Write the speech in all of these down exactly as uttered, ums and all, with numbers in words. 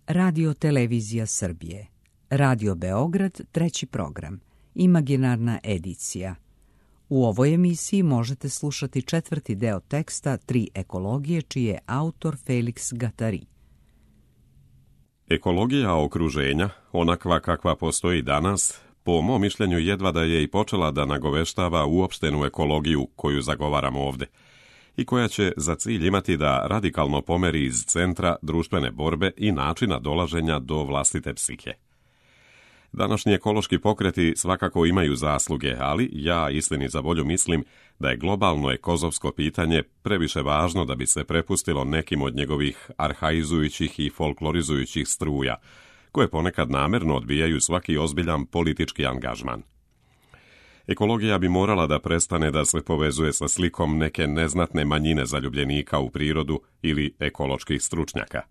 Radio Televizija Srbije, Radio Beograd, treći program, imaginarna edicija. U ovoj emisiji možete slušati četvrti deo teksta Tri ekologije, čiji je autor Felix Gattari. Ekologija okruženja, onakva kakva postoji danas, po mom mišljenju jedva da je i počela da nagoveštava uopštenu ekologiju koju zagovaramo ovde i koja će za cilj imati da radikalno pomeri iz centra društvene borbe i načina dolaženja do vlastite psihe. Današnji ekološki pokreti svakako imaju zasluge, ali ja istini za volju mislim da je globalno ekozovsko pitanje previše važno da bi se prepustilo nekim od njegovih arhaizujućih i folklorizujućih struja, koje ponekad namerno odbijaju svaki ozbiljan politički angažman. Ekologija bi morala da prestane da se povezuje sa slikom neke neznatne manjine zaljubljenika u prirodu ili ekoloških stručnjaka.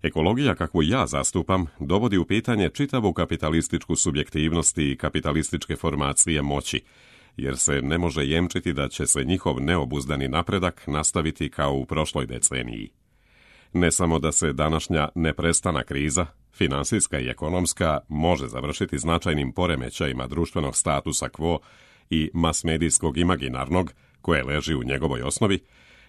Ekologija, kakvu ja zastupam, dovodi u pitanje čitavu kapitalističku subjektivnost i kapitalističke formacije moći, jer se ne može jemčiti da će se njihov neobuzdani napredak nastaviti kao u prošloj deceniji. Ne samo da se današnja neprestana kriza, finansijska i ekonomska, može završiti značajnim poremećajima društvenog statusa quo i masmedijskog imaginarnog, koje leži u njegovoj osnovi,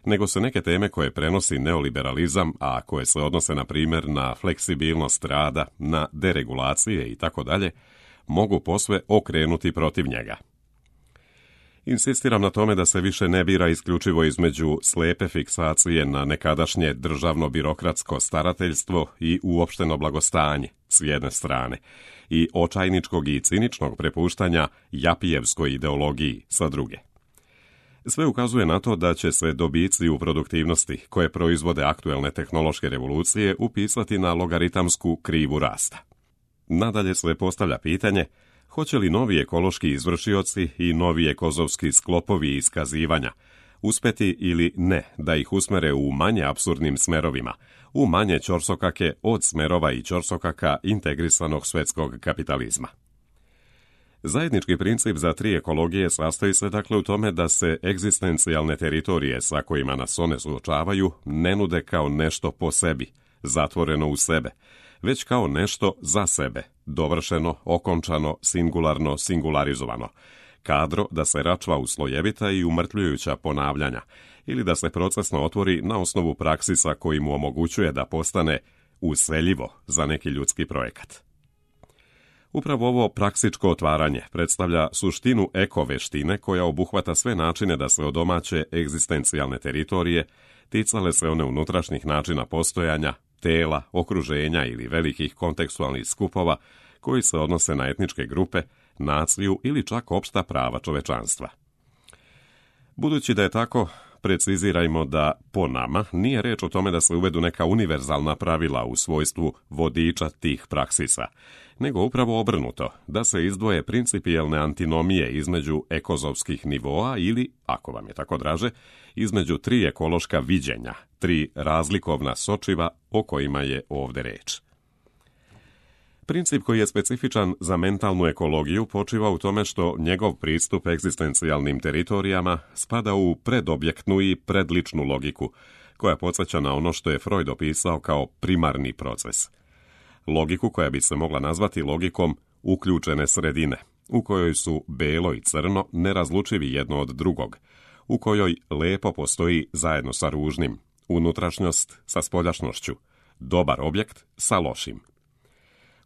nego se neke teme koje prenosi neoliberalizam, a koje se odnose na primjer na fleksibilnost rada, na deregulacije i tako dalje, mogu posve okrenuti protiv njega. Insistiram na tome da se više ne bira isključivo između slepe fiksacije na nekadašnje državno-birokratsko starateljstvo i uopšteno blagostanje s jedne strane i očajničkog i ciničnog prepuštanja japijevskoj ideologiji sa druge. Sve ukazuje na to da će se dobici u produktivnosti koje proizvode aktuelne tehnološke revolucije upisati na logaritamsku krivu rasta. Nadalje se postavlja pitanje hoće li novi ekološki izvršioci i novi ekozovski sklopovi iskazivanja uspeti ili ne da ih usmere u manje apsurdnim smerovima, u manje ćorsokake od smerova i ćorsokaka integrisanog svetskog kapitalizma. Zajednički princip za tri ekologije sastoji se dakle u tome da se egzistencijalne teritorije sa kojima nas one suočavaju ne nude kao nešto po sebi, zatvoreno u sebe, već kao nešto za sebe, dovršeno, okončano, singularno, singularizovano, kadro da se račva u slojevita i umrtljujuća ponavljanja, ili da se procesno otvori na osnovu praksisa koji mu omogućuje da postane useljivo za neki ljudski projekat. Upravo ovo praksičko otvaranje predstavlja suštinu ekoveštine koja obuhvata sve načine da se odomaće egzistencijalne teritorije, ticale se one unutrašnjih načina postojanja, tela, okruženja ili velikih kontekstualnih skupova koji se odnose na etničke grupe, naciju ili čak opšta prava čovečanstva. Budući da je tako, precizirajmo da po nama nije reč o tome da se uvedu neka univerzalna pravila u svojstvu vodiča tih praksisa, nego upravo obrnuto, da se izdvoje principijelne antinomije između ekozovskih nivoa ili, ako vam je tako draže, između tri ekološka viđenja, tri razlikovna sočiva o kojima je ovde reč. Princip koji je specifičan za mentalnu ekologiju počiva u tome što njegov pristup egzistencijalnim teritorijama spada u predobjektnu i predličnu logiku, koja podsjeća na ono što je Freud opisao kao primarni proces. Logiku koja bi se mogla nazvati logikom uključene sredine, u kojoj su belo i crno nerazlučivi jedno od drugog, u kojoj lepo postoji zajedno sa ružnim, unutrašnjost sa spoljašnošću, dobar objekt sa lošim.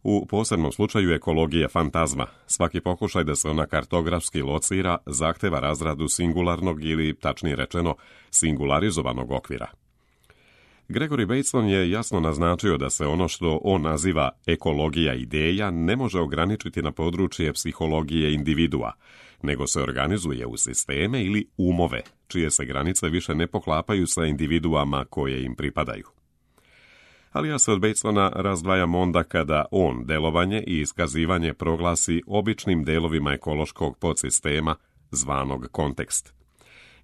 U posebnom slučaju ekologije fantazma, svaki pokušaj da se ona kartografski locira zahteva razradu singularnog ili, tačnije rečeno, singularizovanog okvira. Gregory Bateson je jasno naznačio da se ono što on naziva ekologija ideja ne može ograničiti na područje psihologije individua, nego se organizuje u sisteme ili umove, čije se granice više ne poklapaju sa individuama koje im pripadaju. Ali ja se od Batesona razdvajam onda kada on delovanje i iskazivanje proglasi običnim delovima ekološkog podsistema zvanog kontekst.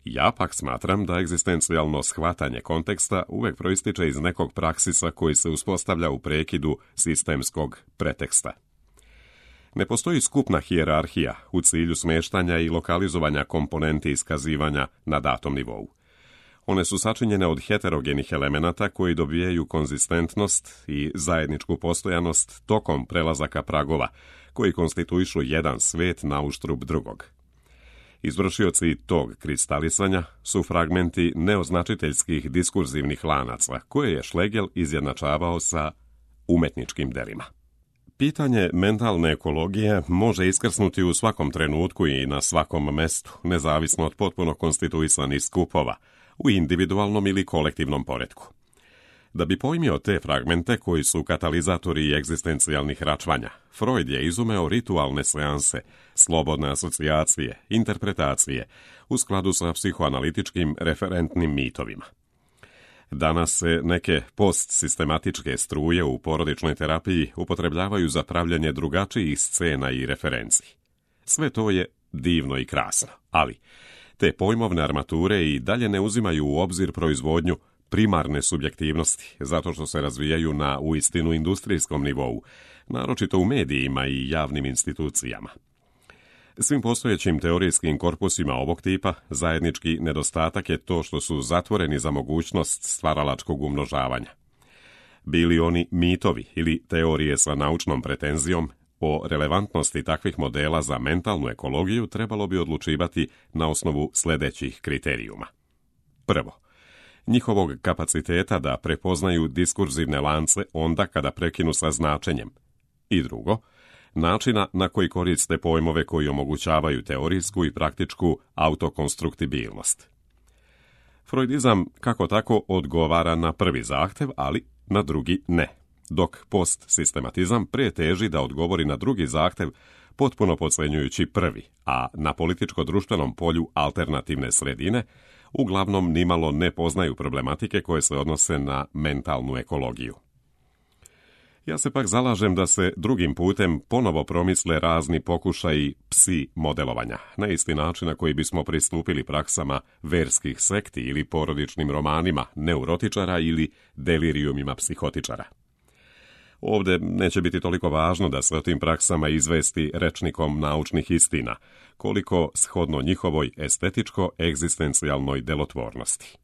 Ja pak smatram da egzistencijalno shvatanje konteksta uvek proističe iz nekog praksisa koji se uspostavlja u prekidu sistemskog preteksta. Ne postoji skupna hijerarhija u cilju smeštanja i lokalizovanja komponenti iskazivanja na datom nivou. One su sačinjene od heterogenih elemenata koji dobijaju konzistentnost i zajedničku postojanost tokom prelazaka pragova, koji konstituišu jedan svet na uštrb drugog. Izvršioci tog kristalisanja su fragmenti neoznačiteljskih diskurzivnih lanaca, koje je Schlegel izjednačavao sa umetničkim delima. Pitanje mentalne ekologije može iskrsnuti u svakom trenutku i na svakom mestu, nezavisno od potpuno konstituisanih skupova, u individualnom ili kolektivnom poretku. Da bi pojmio te fragmente koji su katalizatori egzistencijalnih račvanja, Freud je izumeo ritualne seanse, slobodne asocijacije, interpretacije, u skladu sa psihoanalitičkim referentnim mitovima. Danas se neke postsistematičke struje u porodičnoj terapiji upotrebljavaju za pravljanje drugačijih scena i referenci. Sve to je divno i krasno, ali te pojmovne armature i dalje ne uzimaju u obzir proizvodnju primarne subjektivnosti, zato što se razvijaju na uistinu industrijskom nivou, naročito u medijima i javnim institucijama. Svim postojećim teorijskim korpusima ovog tipa zajednički nedostatak je to što su zatvoreni za mogućnost stvaralačkog umnožavanja. Bili oni mitovi ili teorije sa naučnom pretenzijom, o relevantnosti takvih modela za mentalnu ekologiju trebalo bi odlučivati na osnovu sljedećih kriterijuma. Prvo, njihovog kapaciteta da prepoznaju diskurzivne lance onda kada prekinu sa značenjem. I drugo, načina na koji koriste pojmove koji omogućavaju teorijsku i praktičku autokonstruktibilnost. Freudizam kako tako odgovara na prvi zahtev, ali na drugi ne, dok postsistematizam preteži da odgovori na drugi zahtev potpuno podcenjujući prvi, a na političko-društvenom polju alternativne sredine uglavnom nimalo ne poznaju problematike koje se odnose na mentalnu ekologiju. Ja se pak zalažem da se drugim putem ponovo promisle razni pokušaji psi modelovanja, na isti način na koji bismo pristupili praksama verskih sekti ili porodičnim romanima neurotičara ili delirijumima psihotičara. Ovdje neće biti toliko važno da se o tim praksama izvesti rečnikom naučnih istina, koliko shodno njihovoj estetičko-egzistencijalnoj delotvornosti.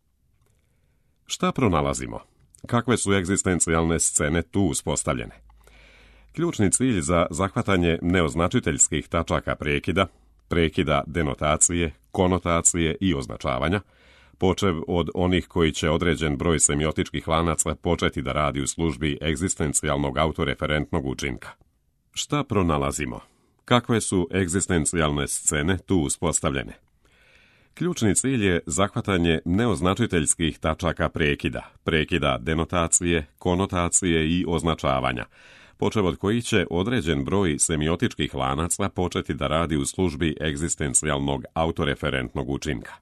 Šta pronalazimo? Kakve su egzistencijalne scene tu uspostavljene? Ključni cilj za zahvatanje neoznačiteljskih tačaka prekida, prekida denotacije, konotacije i označavanja, počev od onih koji će određen broj semiotičkih lanaca početi da radi u službi egzistencijalnog autoreferentnog učinka. Šta pronalazimo? Kakve su egzistencijalne scene tu uspostavljene? Ključni cilj je zahvatanje neoznačiteljskih tačaka prekida, prekida denotacije, konotacije i označavanja, počev od kojih će određen broj semiotičkih lanaca početi da radi u službi egzistencijalnog autoreferentnog učinka.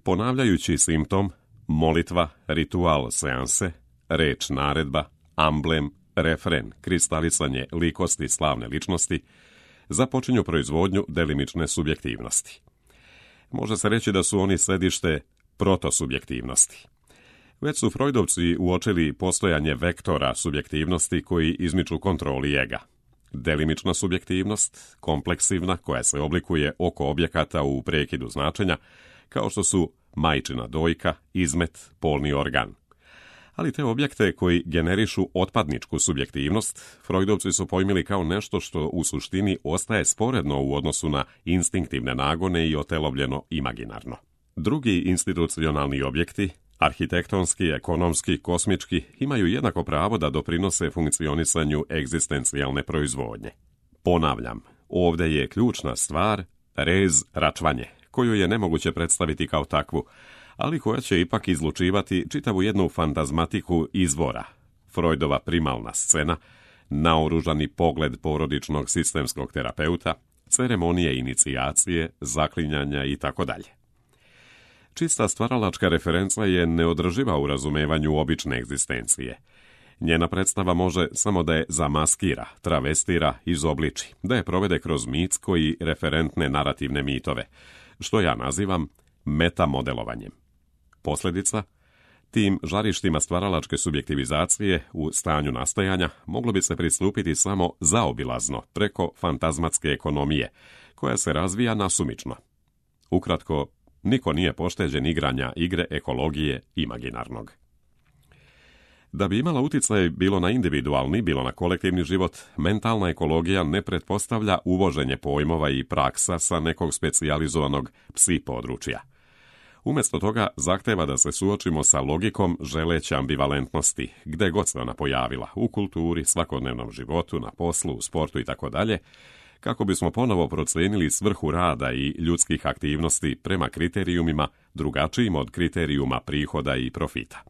Ponavljajući simptom, molitva, ritual seanse, reč naredba, amblem, refren, kristalisanje likosti slavne ličnosti, započinju proizvodnju delimične subjektivnosti. Može se reći da su oni središte protosubjektivnosti. Već su Freudovci uočili postojanje vektora subjektivnosti koji izmiču kontroli ega. Delimična subjektivnost, kompleksivna, koja se oblikuje oko objekata u prekidu značenja, kao što su majčina dojka, izmet, polni organ. Ali te objekte koji generišu otpadničku subjektivnost, Freudovci su pojmili kao nešto što u suštini ostaje sporedno u odnosu na instinktivne nagone i otelovljeno imaginarno. Drugi institucionalni objekti, arhitektonski, ekonomski, kosmički, imaju jednako pravo da doprinose funkcionisanju egzistencijalne proizvodnje. Ponavljam, ovdje je ključna stvar rez račvanje, koju je nemoguće predstaviti kao takvu, ali koja će ipak izlučivati čitavu jednu fantazmatiku izvora, Freudova primalna scena, naoružani pogled porodičnog sistemskog terapeuta, ceremonije inicijacije, zaklinjanja itd. Čista stvaralačka referenca je neodrživa u razumevanju obične egzistencije. Njena predstava može samo da je zamaskira, travestira, izobliči, da je provede kroz mitsko i referentne narativne mitove, što ja nazivam metamodelovanjem. Posljedica? Tim žarištima stvaralačke subjektivizacije u stanju nastajanja moglo bi se pristupiti samo zaobilazno preko fantazmatske ekonomije, koja se razvija nasumično. Ukratko, niko nije pošteđen igranja igre ekologije imaginarnog. Da bi imala utjecaj bilo na individualni, bilo na kolektivni život, mentalna ekologija ne pretpostavlja uvoženje pojmova i praksa sa nekog specijalizovanog psi područja. Umjesto toga zahteva da se suočimo sa logikom želeće ambivalentnosti, gde god se ona pojavila, u kulturi, svakodnevnom životu, na poslu, u sportu itd., kako bismo ponovo procijenili svrhu rada i ljudskih aktivnosti prema kriterijumima drugačijim od kriterijuma prihoda i profita.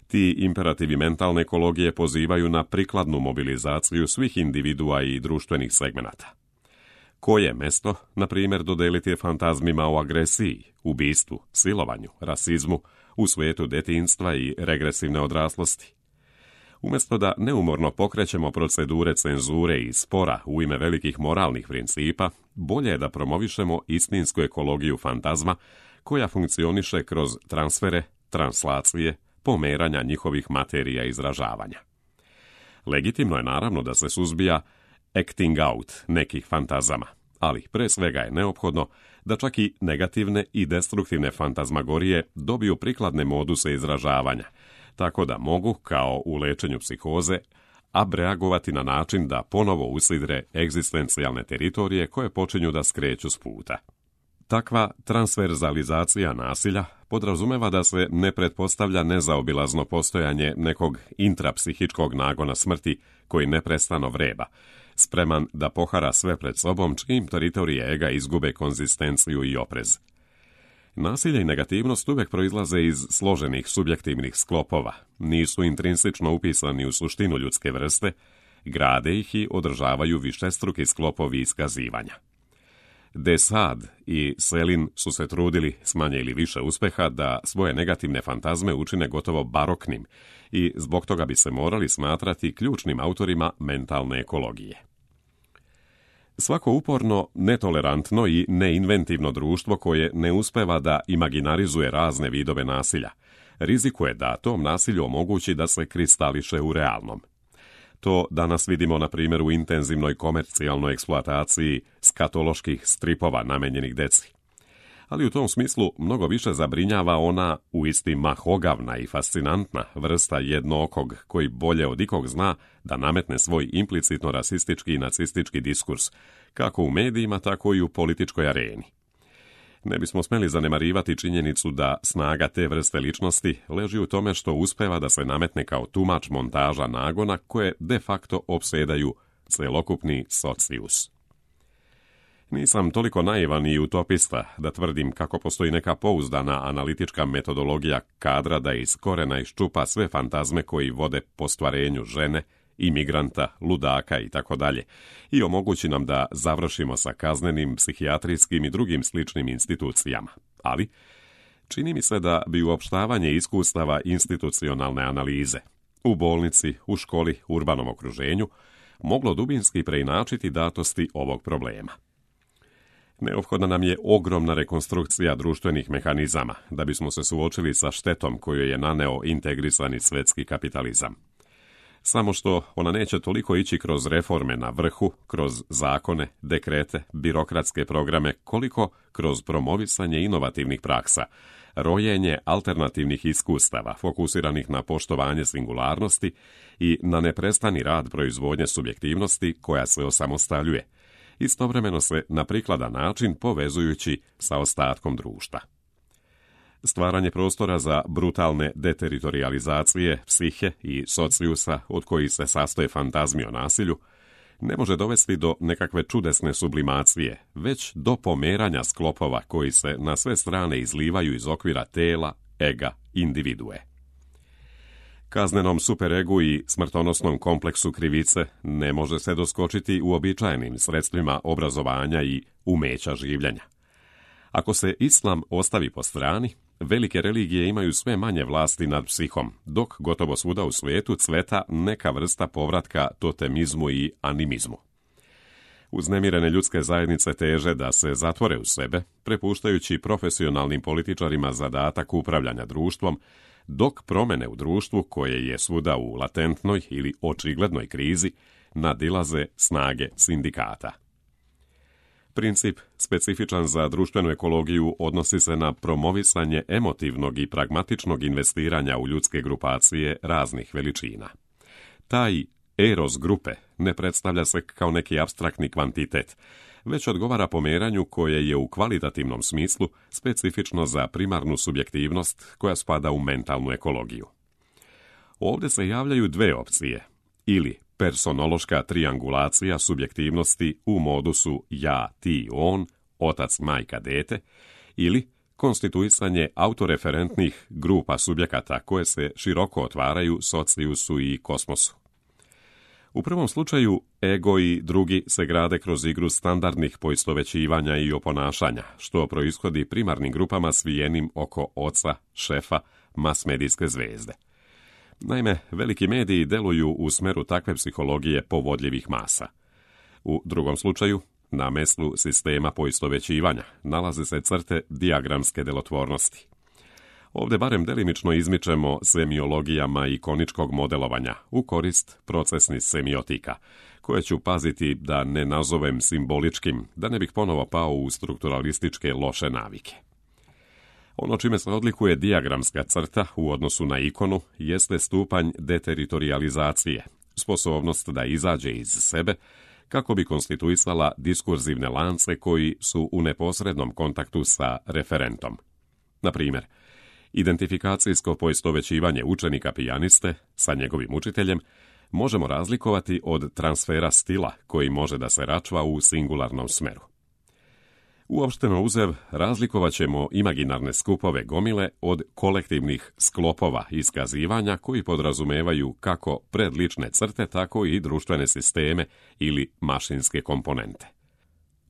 Ti imperativi mentalne ekologije pozivaju na prikladnu mobilizaciju svih individua i društvenih segmenata. Koje mesto, na primjer, dodeliti fantazmima o agresiji, ubistvu, silovanju, rasizmu, u svijetu detinjstva i regresivne odraslosti? Umjesto da neumorno pokrećemo procedure cenzure i spora u ime velikih moralnih principa, bolje je da promovišemo istinsku ekologiju fantazma koja funkcioniše kroz transfere, translacije, pomeranja njihovih materija izražavanja. Legitimno je naravno da se suzbija acting out nekih fantazama, ali pre svega je neophodno da čak i negativne i destruktivne fantazmagorije dobiju prikladne moduse izražavanja, tako da mogu, kao u lečenju psihoze, abreagovati na način da ponovo usidre egzistencijalne teritorije koje počinju da skreću s puta. Takva transverzalizacija nasilja podrazumeva da se ne pretpostavlja nezaobilazno postojanje nekog intrapsihičkog nagona smrti koji neprestano vreba, spreman da pohara sve pred sobom čim teritorije ega izgube konzistenciju i oprez. Nasilje i negativnost uvijek proizlaze iz složenih subjektivnih sklopova, nisu intrinsično upisani u suštinu ljudske vrste, grade ih i održavaju višestruki sklopovi iskazivanja. De Sade i Selin su se trudili, s manje ili više uspeha, da svoje negativne fantazme učine gotovo baroknim i zbog toga bi se morali smatrati ključnim autorima mentalne ekologije. Svako uporno, netolerantno i neinventivno društvo koje ne uspeva da imaginarizuje razne vidove nasilja, rizikuje da tom nasilju omogući da se kristališe u realnom. To danas vidimo na primjer u intenzivnoj komercijalnoj eksploataciji skatoloških stripova namenjenih deci. Ali u tom smislu mnogo više zabrinjava ona uistinu mahogavna i fascinantna vrsta jednookog koji bolje od ikog zna da nametne svoj implicitno rasistički i nacistički diskurs, kako u medijima, tako i u političkoj areni. Ne bismo smjeli zanemarivati činjenicu da snaga te vrste ličnosti leži u tome što uspeva da se nametne kao tumač montaža nagona koje de facto opsedaju celokupni socijus. Nisam toliko naivan i utopista da tvrdim kako postoji neka pouzdana analitička metodologija kadra da iz korena iščupa sve fantazme koji vode po stvarenju žene, imigranta, ludaka i tako dalje i omogući nam da završimo sa kaznenim, psihijatrijskim i drugim sličnim institucijama. Ali čini mi se da bi uopštavanje iskustava institucionalne analize u bolnici, u školi, urbanom okruženju moglo dubinski preinačiti datosti ovog problema. Neophodna nam je ogromna rekonstrukcija društvenih mehanizama da bismo se suočili sa štetom koju je naneo integrisani svetski kapitalizam. Samo što ona neće toliko ići kroz reforme na vrhu, kroz zakone, dekrete, birokratske programe, koliko kroz promovisanje inovativnih praksa, rojenje alternativnih iskustava fokusiranih na poštovanje singularnosti i na neprestani rad proizvodnje subjektivnosti koja se osamostaljuje, istovremeno se na prikladan način povezujući sa ostatkom društva. Stvaranje prostora za brutalne deteritorializacije psihe i socijusa od kojih se sastoje fantazmi o nasilju ne može dovesti do nekakve čudesne sublimacije, već do pomeranja sklopova koji se na sve strane izlivaju iz okvira tela, ega, individue. Kaznenom superegu i smrtonosnom kompleksu krivice ne može se doskočiti uobičajenim sredstvima obrazovanja i umeća življenja. Ako se islam ostavi po strani, velike religije imaju sve manje vlasti nad psihom, dok gotovo svuda u svijetu cveta neka vrsta povratka totemizmu i animizmu. Uznemirene ljudske zajednice teže da se zatvore u sebe, prepuštajući profesionalnim političarima zadatak upravljanja društvom, dok promjene u društvu, koje je svuda u latentnoj ili očiglednoj krizi, nadilaze snage sindikata. Princip specifičan za društvenu ekologiju odnosi se na promovisanje emotivnog i pragmatičnog investiranja u ljudske grupacije raznih veličina. Taj eros grupe ne predstavlja se kao neki apstraktni kvantitet, već odgovara pomeranju koje je u kvalitativnom smislu specifično za primarnu subjektivnost koja spada u mentalnu ekologiju. Ovdje se javljaju dve opcije, ili personološka triangulacija subjektivnosti u modusu ja, ti, on, otac, majka, dete, ili konstituisanje autoreferentnih grupa subjekata koje se široko otvaraju socijusu i kosmosu. U prvom slučaju, ego i drugi se grade kroz igru standardnih poistovećivanja i oponašanja, što proishodi primarnim grupama svijenim oko oca, šefa, masmedijske zvezde. Naime, veliki mediji deluju u smeru takve psihologije povodljivih masa. U drugom slučaju, na meslu sistema poistovećivanja, nalaze se crte dijagramske delotvornosti. Ovdje barem delimično izmičemo semiologijama ikoničkog modelovanja u korist procesnih semiotika, koje ću paziti da ne nazovem simboličkim, da ne bih ponovo pao u strukturalističke loše navike. Ono čime se odlikuje dijagramska crta u odnosu na ikonu jeste stupanj deteritorializacije, sposobnost da izađe iz sebe kako bi konstituisala diskurzivne lance koji su u neposrednom kontaktu sa referentom. Na primjer, identifikacijsko poistovećivanje učenika pijaniste sa njegovim učiteljem možemo razlikovati od transfera stila koji može da se račva u singularnom smeru. Uopšteno uzev, razlikovat ćemo imaginarne skupove gomile od kolektivnih sklopova iskazivanja koji podrazumevaju kako predlične crte, tako i društvene sisteme ili mašinske komponente.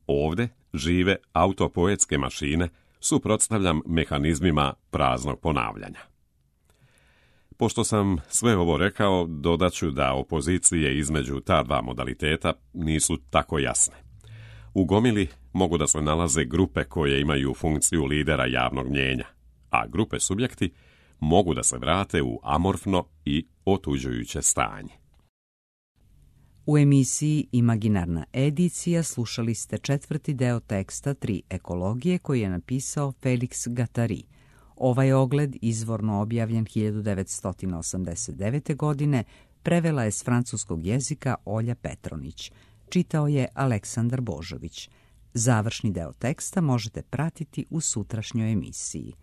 Ovdje žive autopoetske mašine suprotstavljam mehanizmima praznog ponavljanja. Pošto sam sve ovo rekao, dodaću da opozicije između ta dva modaliteta nisu tako jasne. U gomili mogu da se nalaze grupe koje imaju funkciju lidera javnog mnjenja, a grupe subjekti mogu da se vrate u amorfno i otuđujuće stanje. U emisiji Imaginarna edicija slušali ste četvrti deo teksta Tri ekologije koji je napisao Felix Guattari. Ovaj ogled, izvorno objavljen hiljadu devetsto osamdeset devete. godine, prevela je s francuskog jezika Olja Petronić. Čitao je Aleksandar Božović. Završni deo teksta možete pratiti u sutrašnjoj emisiji.